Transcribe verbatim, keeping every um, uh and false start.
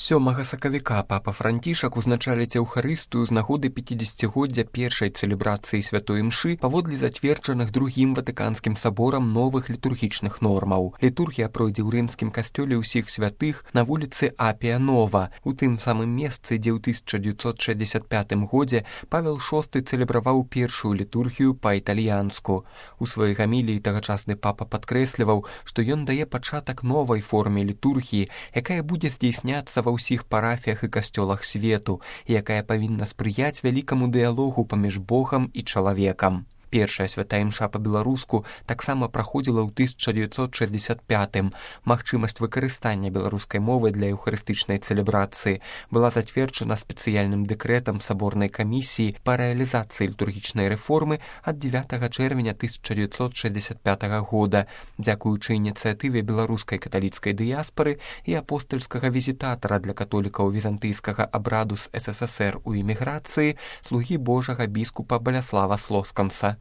сёмага сакавіка папа Францішак узначаліць эўхарыстыю з нагоды пяцідзесяцігоддзя першай цэлебрацыі святой імшы паводле зацверджаных другім ватыканскім саборам новых літургічных нормаў. Літургія пройдзе ў рымскім касцёле ўсіх святых на вуліцы Апія Нова, у тым самым месцы, дзе ў тысяча дзевяцьсот шэсцьдзесят пятым годзе Павел шосты цэлебраваў першую літургію па-італьянску. У сваёй гаміліі тагачасны папа падкрэсліваў, што ён дае пачатак новай форме літургіі, якая будзе здзейсняцца ва ўсіх парафіях і касцёлах свету, і якая павінна спрыяць вялікаму дыялогу паміж Богам і чалавекам. Першая святая імша па-беларуску таксама праходзіла ў тысяча дзевяцьсот шэсцьдесят пятым. Магчымасць выкарыстання беларускай мовы для эўхарыстычнай цэлебрацыі была зацверджана спецыяльным дэкрэтам саборнай камісіі па рэалізацыі літургічнай рэформы ад дзевятага чэрвеня тысяча дзевяцьсот шэсцьдесят пятага года, дзякуючы ініцыятыве беларускай каталіцкай дыяспары і апостальскага візітатара для католікаў візантыйскага абраду з эс эс эс эр у эміграцыі, слугі Божага біскупа Баляслава Слосканса.